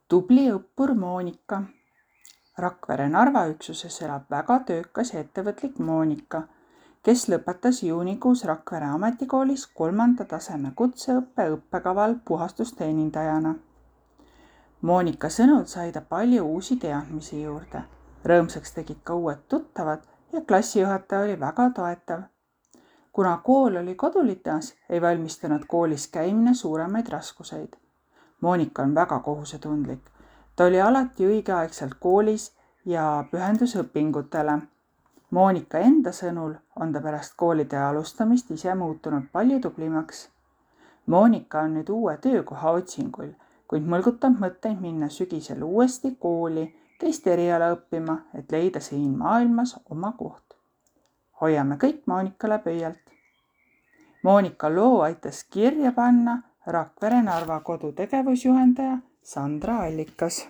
Tubli õppur Moonika. Rakvere Narva üksuses elab väga töökas ja ettevõtlik Moonika, kes lõpetas juunikuus Rakvere ametikoolis 3. taseme kutseõppe õppekaval puhastusteenindajana. Moonika sõnul sai ta palju uusi teadmisi juurde. Rõõmsaks tegid ka uued tuttavad ja klassijuhataja oli väga toetav. Kuna kool oli kodulinnas, ei valmistanud koolis käimine suuremaid raskuseid. Moonika on väga kohusetundlik. Ta oli alati õigeaegselt koolis ja pühendus õpingutele. Moonika enda sõnul on ta pärast koolide alustamist ise muutunud palju tublimaks. Moonika on nüüd uue töökoha otsingul, kuid mõlgutab mõtteid minna sügisel uuesti kooli teist eriala õppima, et leida siin maailmas oma koht. Hoiame kõik Moonikale pöialt. Moonika loo aitas kirja panna Rakvere Narva kodu tegevusjuhendaja Sandra Allikas.